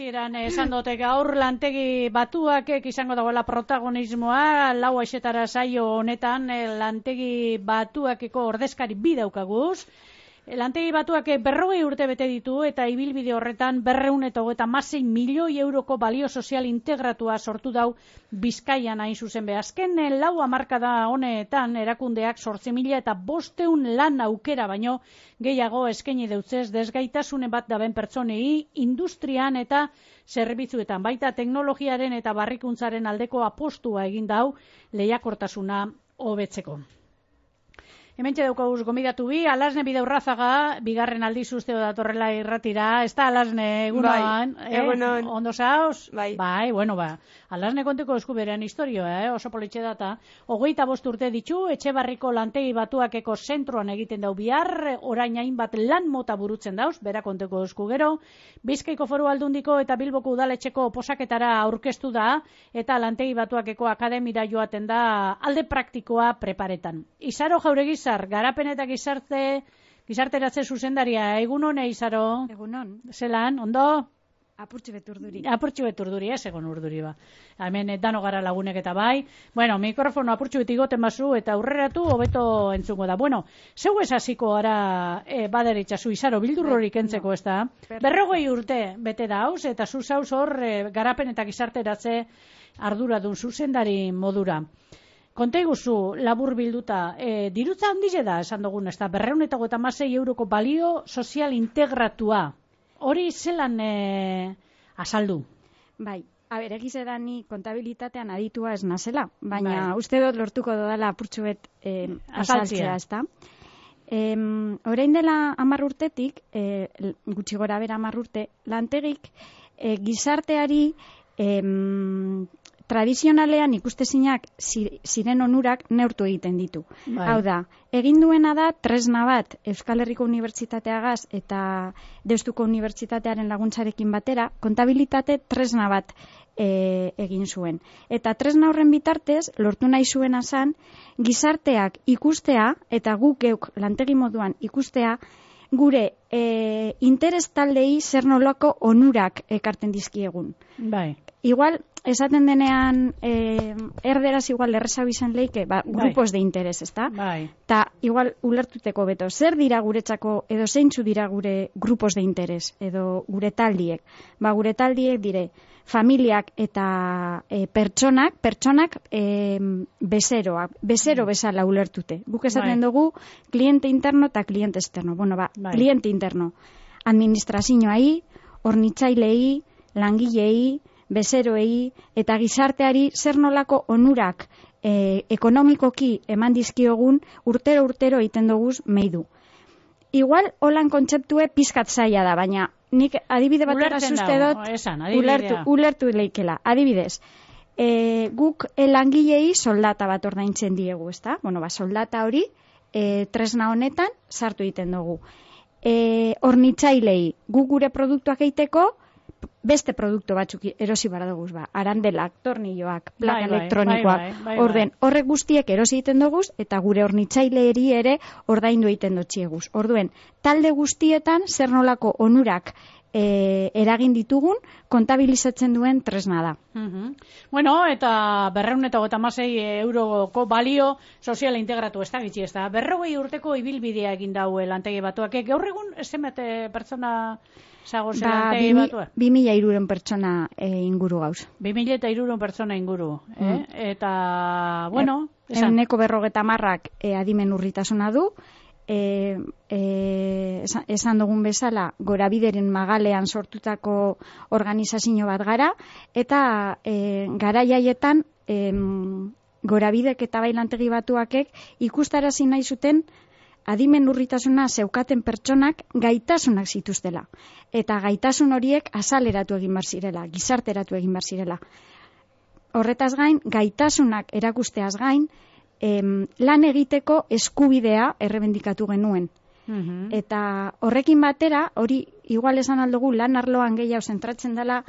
hasieran esan dute gaur lantegi batuak izango dagoela protagonismoa, lau aixetara saio honetan lantegi batuakeko ordezkari bi daukaguz. Lantegi batuak 40 urte bete ditu eta ibilbide horretan 236 milioi euroko balio sozial integratua sortu dau Bizkaian hain zuzen be. Azken lau hamarkada honetan erakundeak 8.500 lan aukera baino gehiago eskaini deutzez desgaitasune bat daben pertsonei industrian eta zerbitzuetan, baita teknologiaren eta barrikuntzaren aldeko apostua egin dau lehiakortasuna hobetzeko. Hementxe daukaguz gomidatu bi, Alasne Bidaurrazaga, bigarren aldiz usteo datorrela irratira, ez da Alasne egunoan? Bai, egunon. Ondo zauz? Bai. Bai, bueno, ba. Alasne konteko eskuberean historioa, oso politxe data. 25 urte ditu, Etxebarriko lantegi batuakeko zentroan egiten dau bihar, orain hainbat lan mota burutzen dauz, bera konteko esku gero. Bizkaiko Foru Aldundiko eta Bilboko udaletxeko posaketara aurkeztu da, eta lantegi batuakeko akademira joaten da alde praktikoa preparetan. Izaro Jauregizar, garapen eta gizarteratze zuzendaria, egunon Izaro? Egunon. Zelan, ondo? Apurtxu beturduri. Apurtxu beturduri, ez egon urduri ba. Hemen dano gara lagunek eta bai. Bueno, mikrofono apurtxu betigoten bazu eta aurreratu hobeto entzungo da. Bueno, zeu ez hasiko gara baderitzazu Izaro, bildurrorik entzeko ez da. 40 urte bete da hauz eta zu zauz hor garapen eta gizarteratze arduradun zuzendari modura. Konta iguzu, labur bilduta, dirutza handize da, esan dugun, ez da, 256 euroko balio sozial integratua. Hori zelan azaldu? Bai, egize da ni kontabilitatean aditua ez nazela, baina uste dut lortuko dodala apurtxu bet azaltzea, ez da. Orain dela 10 urtetik, gutxi gora bera 10 urte, lantegik gizarteari tradizionalean ikustezinak ziren onurak neurtu egiten ditu. Bai. Hau da, egin duena da tresna bat Euskal Herriko Unibertsitateagaz eta Deustuko Unibertsitatearen laguntzarekin batera, kontabilitate tresna bat egin zuen. Eta tresna horren bitartez, lortu nahi zuena zan, gizarteak ikustea, eta guk geuk lantegi moduan ikustea, gure interes taldei zer nolako onurak ekarten dizkiegun. Bai. Igual, esaten denean erderaz igual errezago izan leike, grupos de interes, ezta? Bai. Ta igual ulertuteko beto, zer dira guretzako edo zeintzu dira gure grupos de interes edo gure taldiek? Gure taldiek dire familiak eta pertsonak bezero bezala ulertute. Guk esaten dugu kliente interno eta kliente externo. Bueno, kliente interno. Administrazioai, hornitzailei, langilei, bezeroei eta gizarteari zer nolako onurak ekonomikoki eman dizkiogun urtero egiten duguz meidu. Igual holan kontzeptue pizkat zaila da, baina nik adibide batera zuzte dut ulertu leikela. Adibidez, guk langilei soldata bat ordaintzen diegu, ezta? Bueno, soldata hori tresna honetan sartu egiten dugu. Hornitzailei guk gure produktuak egiteko beste produktu batzuk erosi baradoguz, arandelak, tornilloak, plaka elektronikoak, orden, horrek guztiek erosi egiten doguz, eta gure hornitzaileeri ere ordaindu egiten dotxieguz. Orduen, talde guztietan zer nolako onurak eragin ditugun, kontabilizatzen duen tresna da. Bueno, eta 256 euroko balio soziala integratu ez da gitxi ez da. 40 urteko ibilbidea egin daue lantegi batuak. Gaur egun zenbat pertsona zagoz lantegi batuak? 2.300 pertsona inguru gauz. 2.300 pertsona inguru. Eta, bueno... Euneko 50%ak adimen urritasuna du, esan dugun bezala gorabideren magalean sortutako organizazio bat gara, eta garaiaietan gorabidek eta bailantegi batuakek ikustarazi nahi zuten adimen urritasuna zeukaten pertsonak gaitasunak zituztela. Eta gaitasun horiek azaleratu egin bar zirela, gizarteratu egin bar zirela. Horretaz gain, gaitasunak erakusteaz gain, lan egiteko eskubidea errebendikatu genuen. Eta horrekin batera, hori igual esan aldugu lan arloan gehiago zentratzen dela,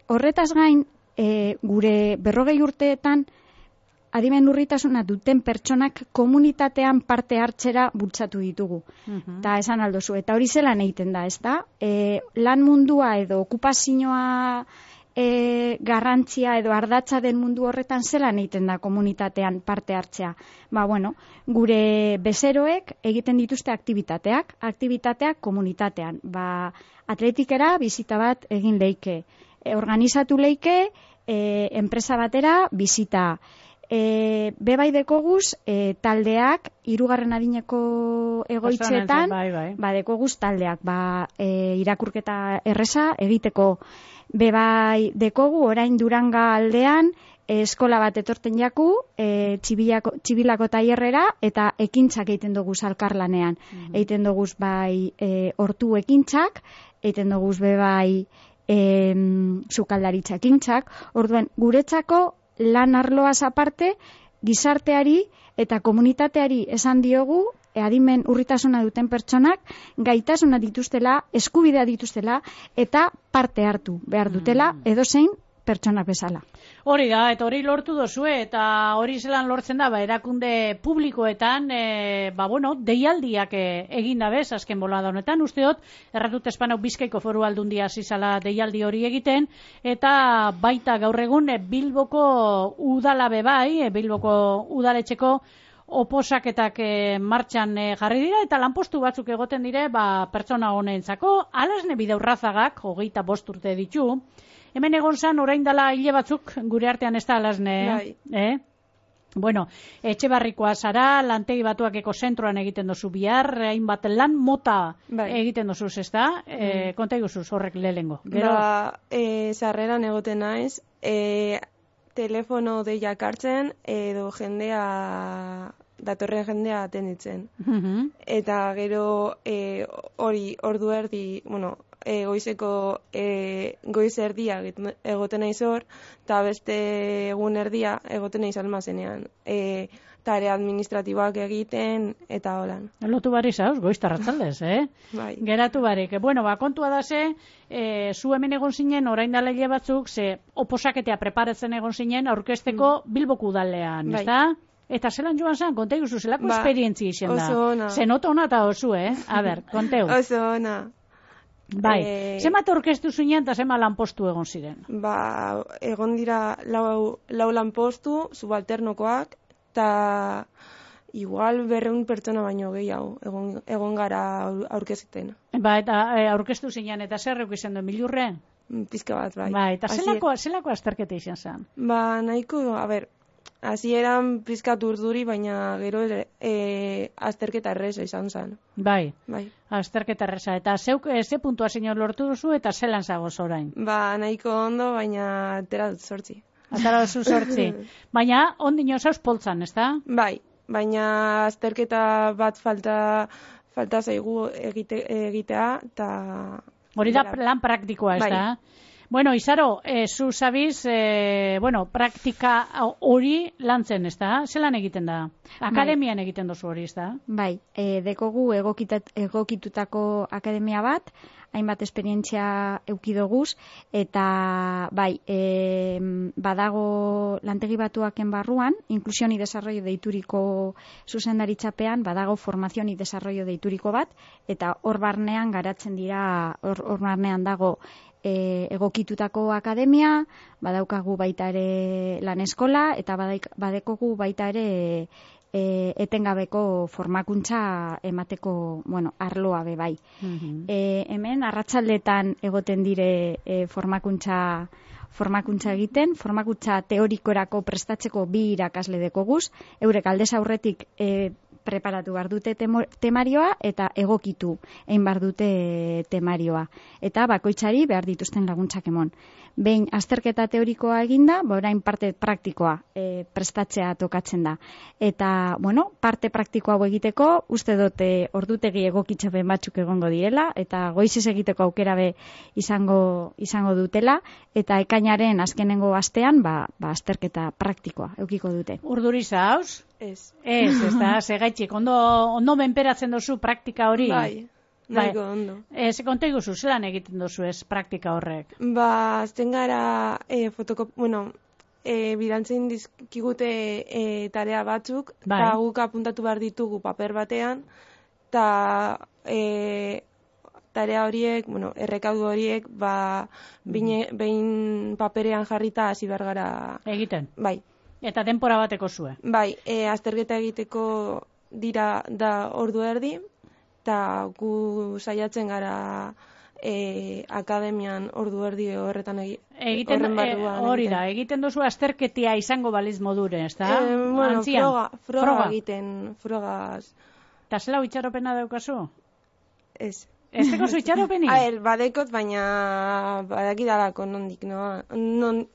horretaz gain, gure 40 urteetan adimen urritasuna duten pertsonak komunitatean parte hartzera bultzatu ditugu. Eta esan aldozu, eta hori zelan egiten da, ez da? Lan mundua edo okupazioa garrantzia edo ardatza den mundu horretan zelan egiten da komunitatean parte hartzea. Gure bezeroek egiten dituzte aktibitateak komunitatean. Atletikera bizita bat egin leike, organizatu leike, enpresa batera bizita. Bebai dekoguz taldeak, 3. adineko egoitzetan, dekoguz taldeak, irakurketa erreza egiteko. Bebai dekogu, orain Duranga aldean, eskola bat etorten jaku, txibilako tailerrera, eta ekintzak egiten dugu alkarlanean. Egiten dugu hortu ekintzak, egiten dugu bebai sukaldaritza ekintzak. Orduan, guretzako lan arloaz aparte, gizarteari eta komunitateari esan diogu, adimen urritasuna duten pertsonak, gaitasuna dituztela, eskubidea dituztela, eta parte hartu behar dutela, edozein pertsonak bezala. Hori da, eta hori lortu dozue, eta hori zelan lortzen da, erakunde publikoetan, deialdiak egin dabez, azken bolada honetan, usteot, erratut Espanau Bizkaiko Foru Aldundia zizala deialdi hori egiten, eta baita gaur egun Bilboko udalabe Bilboko udaletxeko oposaketak martxan jarri dira, eta lanpostu batzuk egoten dire, pertsona honentzako, Alasne Bidaurrazagak, 25 urte ditu, hemen egon zan, orain dela hile batzuk, gure artean ez da Alasne, Etxebarrikoa zara, lantegi batuakeko zentroan egiten dozu bihar, hainbat lan mota egiten dozuz, ez da? Konta iguzuz horrek lehengo. Sarreran egoten naiz, telefono deiak hartzen, edo datorren jendea atenditzen. Eta gero hori ordu erdi, goizeko goiz erdia egoten naiz hor, eta beste egun erdia egoten naiz almazenean. Tare administratiboak egiten, eta holan. Lotu barri zauz, goiztarratzaldez, Bai. Geratu barik. Kontua da zu hemen egon zinen, orain dela hile batzuk, oposaketea preparatzen egon zinen, aurkezteko Bilboko udalean, ez da? Eta zelan joan zen, konta iguzu, zelako esperientzia izan da? Oso ona. Zenot ona eta oso, A ber, konteu. Oso ona. Bai, zemat aurkeztu zinen eta zemat lanpostu egon ziren? Egon dira lau lanpostu, subalternokoak, eta igual 200 pertsona baino gehiago egon gara aurkezten. Eta aurkeztu zinen, eta zer euk izan du, milurre? Pizka bat, bai. Eta zelako azterketa izan zen? Nahiko, hasieran pizkat urduri, baina gero azterketa erreza izan zen. Bai, azterketa erreza. Eta ze puntua zinor lortu duzu eta zelan zagoz orain? Nahiko ondo, baina atera dut 8. Atara duzu 8. Baina ondino zauz poltzan, ez da? Bai, baina azterketa bat falta zaigu egitea, eta... Hori da lan praktikoa, ez da? Izaro, zu zabiz, praktika hori lantzen, ez da? Zelan egiten da? Akademian egiten dozu hori, ez da? Bai, dekogu egokitutako akademia bat, hainbat esperientzia eukidoguz, eta badago lantegi batuaken barruan, inklusión y desarrollo deituriko zuzendaritzapean, badago formación y desarrollo deituriko bat, eta hor barnean garatzen dira, hor barnean dago egokitutako akademia, badaukagu baita ere lan eskola, eta badekogu baita ere etengabeko formakuntza emateko, arloa bai. Hemen arratsaldetan egoten dire formakuntza egiten, formakuntza teorikorako prestatzeko 2 irakasle dekoguz, eurek aldez aurretik preparatu behar dute temarioa eta egokitu egin behar dute temarioa. Eta bakoitzari behar dituzten laguntzak emon. Behin azterketa teorikoa eginda, orain parte praktikoa prestatzea tokatzen da. Eta, parte praktikoa egiteko, uste dute ordutegi egokitzapen batzuk egongo direla, eta goizez egiteko aukera be izango dutela, eta ekainaren azkenengo astean, azterketa praktikoa eukiko dute. Urduri zauz? Ez. Ez da, segaitxik, ondo menperatzen dozu praktika hori? Bai, nahiko ondo. Konta iguzu, zelan egiten dozu ez praktika horrek? Azten gara bidantzen dizkigute tarea batzuk, eta guk apuntatu behar ditugu paper batean, eta tarea horiek, errekaudu horiek, behin paperean jarrita hasi behar gara. Egiten? Bai. Eta denpora bateko zue? Bai, azterketa egiteko dira da ordu erdi, eta gu saiatzen gara akademian ordu erdi horretan egiten hori da, egiten duzu azterketia izango baliz modure, ez da? Froga egiten, frogaz. Eta zela itxaropena daukazu? Ez. Ez teko zu itxaropeni? Badekot, baina badakidalako nondik, non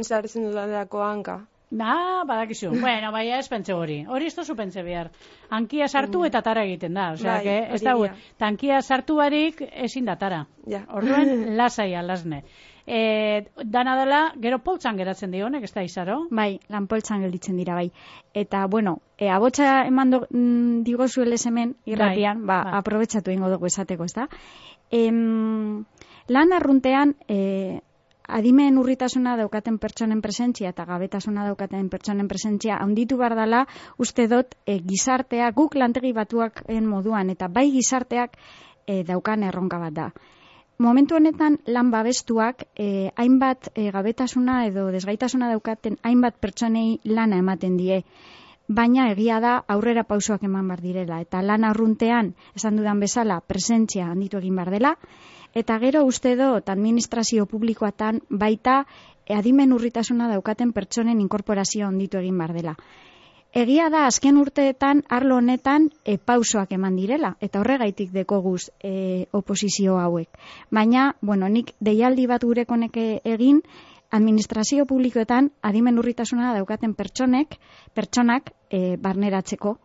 sartzen dudalako hanka. Badakizu. Bueno, baina ez pentsa hori. Hori ez tozu pentsa behar. Hankia sartu eta tara egiten da. Osea, ez da hori. Hankia sartu barik ezin da tara. Orduen, lasaia, lasne. Dana dela, gero poltsan geratzen dionek, ez da izaro? Bai, lan poltsan gelditzen dira, bai. Eta, abotsa eman digozu hemen irratian, aprobetsatu ingo dugu esateko, ez da? Lan arruntean, adimen urritasuna daukaten pertsonen presentzia eta gabetasuna daukaten pertsonen presentzia handitu behar dela, uste dut gizartea, guk lantegi batuaken moduan, eta bai gizarteak daukan erronka bat da. Momentu honetan lan babestuak hainbat gabetasuna edo desgaitasuna daukaten hainbat pertsonei lana ematen die. Baina egia da aurrera pausoak eman behar direla. Eta lan arruntean, esan dudan bezala, presentzia handitu egin behar dela. Eta gero uste dut administrazio publikoatan baita adimen urritasuna daukaten pertsonen inkorporazio handitu egin behar dela. Egia da, azken urteetan, arlo honetan pausoak eman direla, eta horregaitik dekoguz oposizio hauek. Baina, nik deialdi bat gurekonek egin, administrazio publikoetan adimen urritasuna daukaten pertsonak barneratzeko.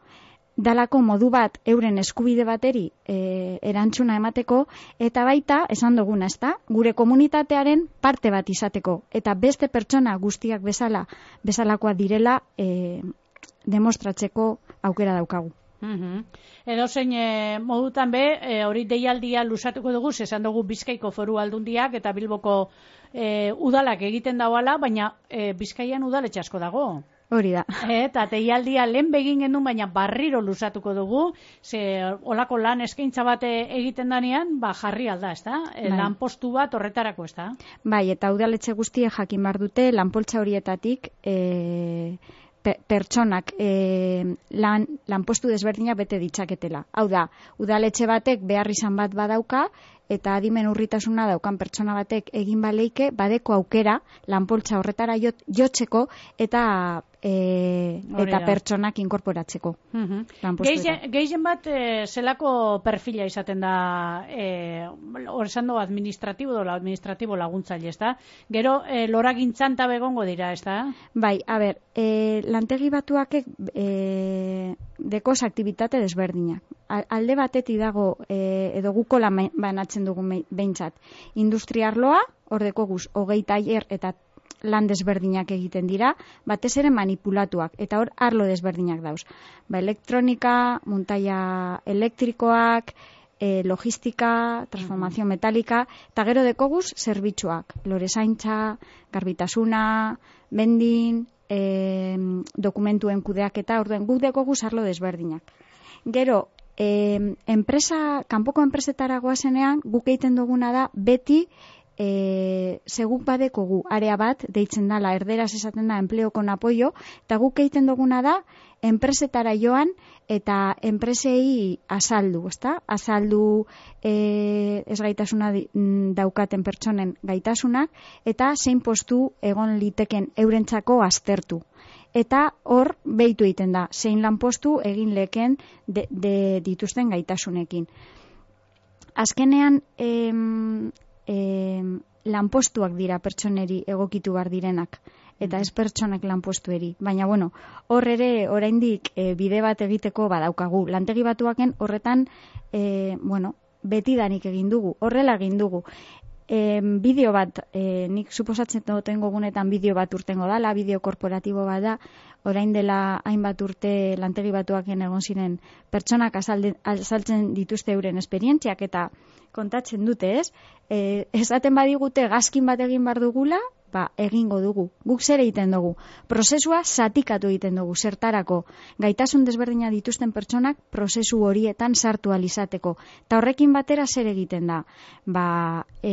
Dalako modu bat euren eskubide bateri erantzuna emateko, eta baita, esan duguna, ezta, gure komunitatearen parte bat izateko, eta beste pertsona guztiak bezalakoa direla demostratzeko aukera daukagu. Edo zein modutan hori deialdia lusatuko dugu, esan dugu Bizkaiko Foru Aldundiak eta Bilboko udalak egiten dauala, baina Bizkaian udaletxe asko dago. Hori da. Eta deialdia lehen begin genuen, baina barriro lusatuko dugu, olako lan eskaintza bat egiten danean, jarri alda, ez da? Lanpostu bat horretarako, ez da? Bai, eta udaletxe guztiek jakin behar dute, lanpoltza horietatik pertsonak lanpostu desberdinak bete ditzaketela. Hau da, udaletxe batek behar izan bat badauka, eta adimen urritasuna daukan pertsona batek egin baleike, badeko aukera lanpoltza horretara jotzeko eta pertsonak inkorporatzeko. Gehien bat zelako perfila izaten da hor esan dugu administratibo laguntzaile, ez da? Gero loragintzan tabe egongo dira, ez da? Bai, lantegi batuakek dekoz aktibitate desberdinak. Alde batetik dago edo guko lan banatzen dugu behintzat. Industriarloa, hor dekoguz, 20 tailer eta lan desberdinak egiten dira, batez ere manipulatuak, eta hor arlo desberdinak dauz. Elektronika, muntaia elektrikoak, logistika, transformazio metalika, eta gero dekoguz zerbitzuak, lorezaintza, garbitasuna, bendin, dokumentuen kudeaketa, orduen guk dekoguz arlo desberdinak. Gero, kanpoko enpresetara goazenean, guk egiten duguna da, beti seguk badekogu area bat, deitzen dala, erderaz esaten da, enpleo con apoyo, eta guk egiten duguna da, enpresetara joan, eta enpresei azaldu, ezta? Azaldu ezgaitasuna daukaten pertsonen gaitasunak, eta zein postu egon liteken eurentzako aztertu. Eta hor behitu egiten da, zein lanpostu egin leken dituzten gaitasunekin. Azkenean, lanpostuak dira pertsoneri egokitu behar direnak, eta ez pertsonak lanpostueri. Baina, hor ere, oraindik bide bat egiteko badaukagu. Lantegi batuaken horretan, betidanik egin dugu, horrela egin dugu. Bideo bat, nik suposatzen duten gogunetan bideo bat urtengo dala, bideo korporatibo bat da, orain dela hainbat urte lantegi batuaken egon ziren pertsonak azaltzen dituzte euren esperientziak eta kontatzen dute, ez? Esaten badigute gazkin bat egin behar dugula, egingo dugu. Guk zer egiten dugu? Prozesua zatikatu egiten dugu, zertarako. Gaitasun desberdina dituzten pertsonak prozesu horietan sartu alizateko. Eta horrekin batera zer egiten da?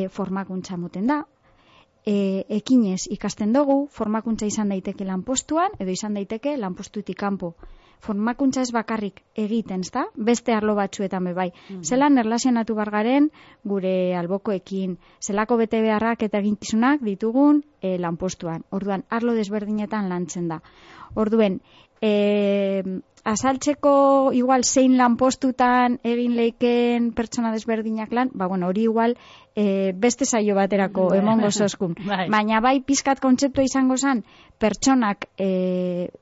Formakuntza moten da, ekinez ikasten dugu, formakuntza izan daiteke lanpostuan, edo izan daiteke lanpostutik kanpo. Formakuntza ez bakarrik egiten, ezta? Beste arlo batzuetan bai. Zelan erlazionatu bargaren gure albokoekin, zelako bete beharrak eta eginkizunak ditugun lanpostuan. Orduan, arlo desberdinetan lantzen da. Orduen, azaltzeko igual zein lanpostutan egin leiken pertsona desberdinak lan, hori igual beste saio baterako emongo zoskun. Baina bai pizkat kontzeptua izango zen, pertsonak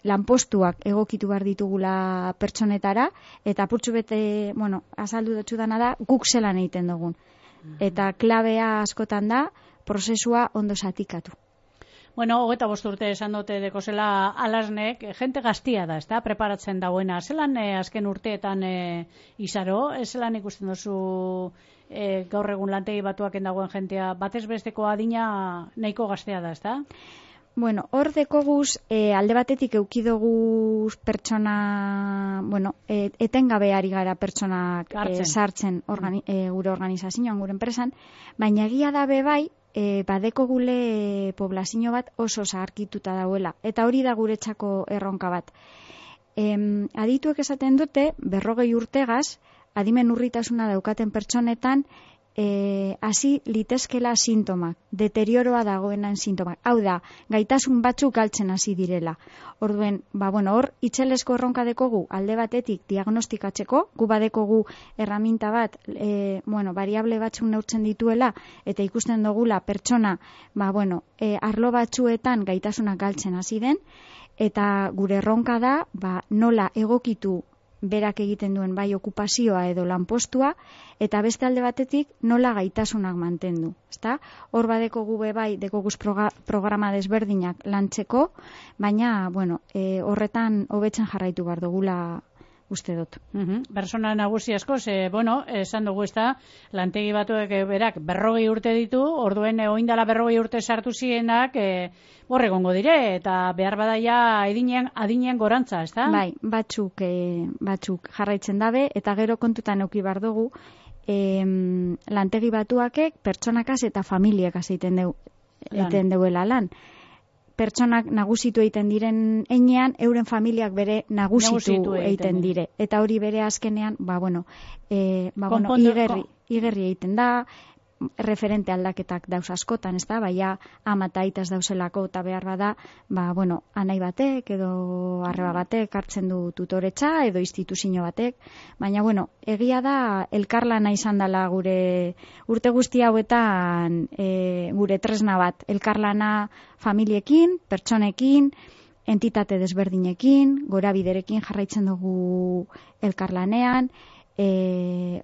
lanpostuak egokitu behar ditugula pertsonetara, eta apurtxu bete, azaldu dutxu dana da, guk zelan egiten dugun. Eta klabea askotan da, prozesua ondo zatikatu. 25 urte esan dute dekozela Alasnek, jente gaztia da, ezta, preparatzen dauena. Zelan azken urteetan izaro, zelan ikusten duzu gaur egun lantegi batuaken dagoen jentea, batez besteko adina nahiko gaztea da, ezta? Hor dekoguz, alde batetik eukidoguz pertsona, etengabe ari gara pertsonak sartzen gure organizazioan, gure enpresan, baina egia da bai, badeko gule poblazio bat oso zaharkituta dauela. Eta hori da guretzako erronka bat. Adituek esaten dute, 40 urtegaz, adimen urritasuna daukaten pertsonetan, hasi litezkela sintomak, deterioroa dagoenan sintomak. Hau da, gaitasun batzuk galtzen hasi direla. Orduen, hor, itxelesko erronka dekogu alde batetik diagnostikatzeko, gu badekogu erraminta bat, variable batzuk neurtzen dituela, eta ikusten dugula pertsona, arlo batzuetan gaitasunak galtzen hasi den, eta gure erronka da, nola egokitu berak egiten duen bai okupazioa edo lanpostua, eta beste alde batetik nola gaitasunak mantendu. Hor badeko gube bai, dekoguz programa desberdinak lantzeko, baina horretan hobetzen jarraitu behar dugula uste dut. Persona nagusi asko, esan dugu lantegi batuek berak 40 urte ditu, orduen oindala 40 urte sartu zienak, hor egongo dire, eta behar badaia adinean gorantza, ezta? Bai, batzuk jarraitzen dabe, eta gero kontutan euki behar dugu, lantegi batuakek pertsonakaz eta familiekaz egiten deuela lan. Pertsonak nagusitu egiten diren heinean, euren familiak bere nagusitu egiten dire. Eta hori bere azkenean, igerri egiten da, referente aldaketak dauz askotan, ez da, baina ama eta aitaz dauzelako eta behar bada, anai batek edo arreba batek hartzen du tutoretza edo instituzio batek, baina egia da elkarlana izan dela gure urte guzti hauetan gure tresna bat, elkarlana familiekin, pertsonekin, entitate desberdinekin, gorabiderekin jarraitzen dugu elkarlanean,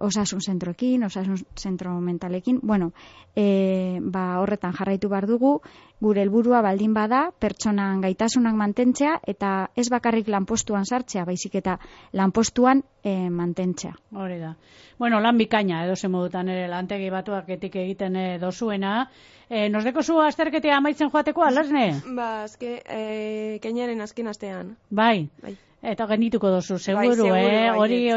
osasun zentroekin, osasun zentro mentalekin, horretan jarraitu behar dugu, gure helburua baldin bada, pertsonan gaitasunak mantentzea, eta ez bakarrik lanpostuan sartzea, baizik eta lanpostuan mantentzea. Hori da. Lan bikaina, edo ze modutan ere lantegi batuak egiten dozuena. Nos deko zu azterketea amaitzen joateko, Alasne? Kainaren azken astean. Bai. Eta genituko dozu, seguru, hori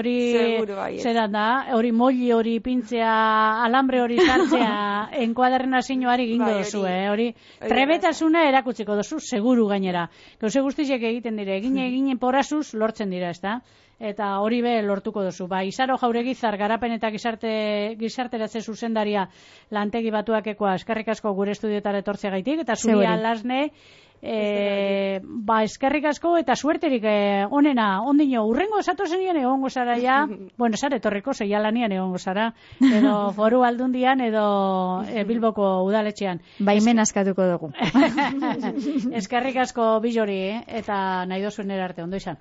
zeran da, hori molli hori pintzea, alambre hori sartzea, enkuaderren zinuari gingo dozu, hori trebetasuna erakutziko dozu, seguru gainera. Gauze guztiziek egiten dire, eginen porazuz lortzen dira, ezta? Eta hori be lortuko dozu. Izaro Jauregizar, garapen eta gizarteratze zuzendaria lantegi batuakekoa, eskerrik asko gure estudiotara etortzea gaitik, eta zuri Alasne, eskerrik asko eta suerterik onena, ondino, urrengo esatu zenien egongo zara ja, zare torriko zeialanian egongo zara, edo Foru Aldundian edo Bilboko udaletxean. Baimen askatuko dugu. Eskerrik asko Bilori, eta nahi dozuen arte, ondo izan.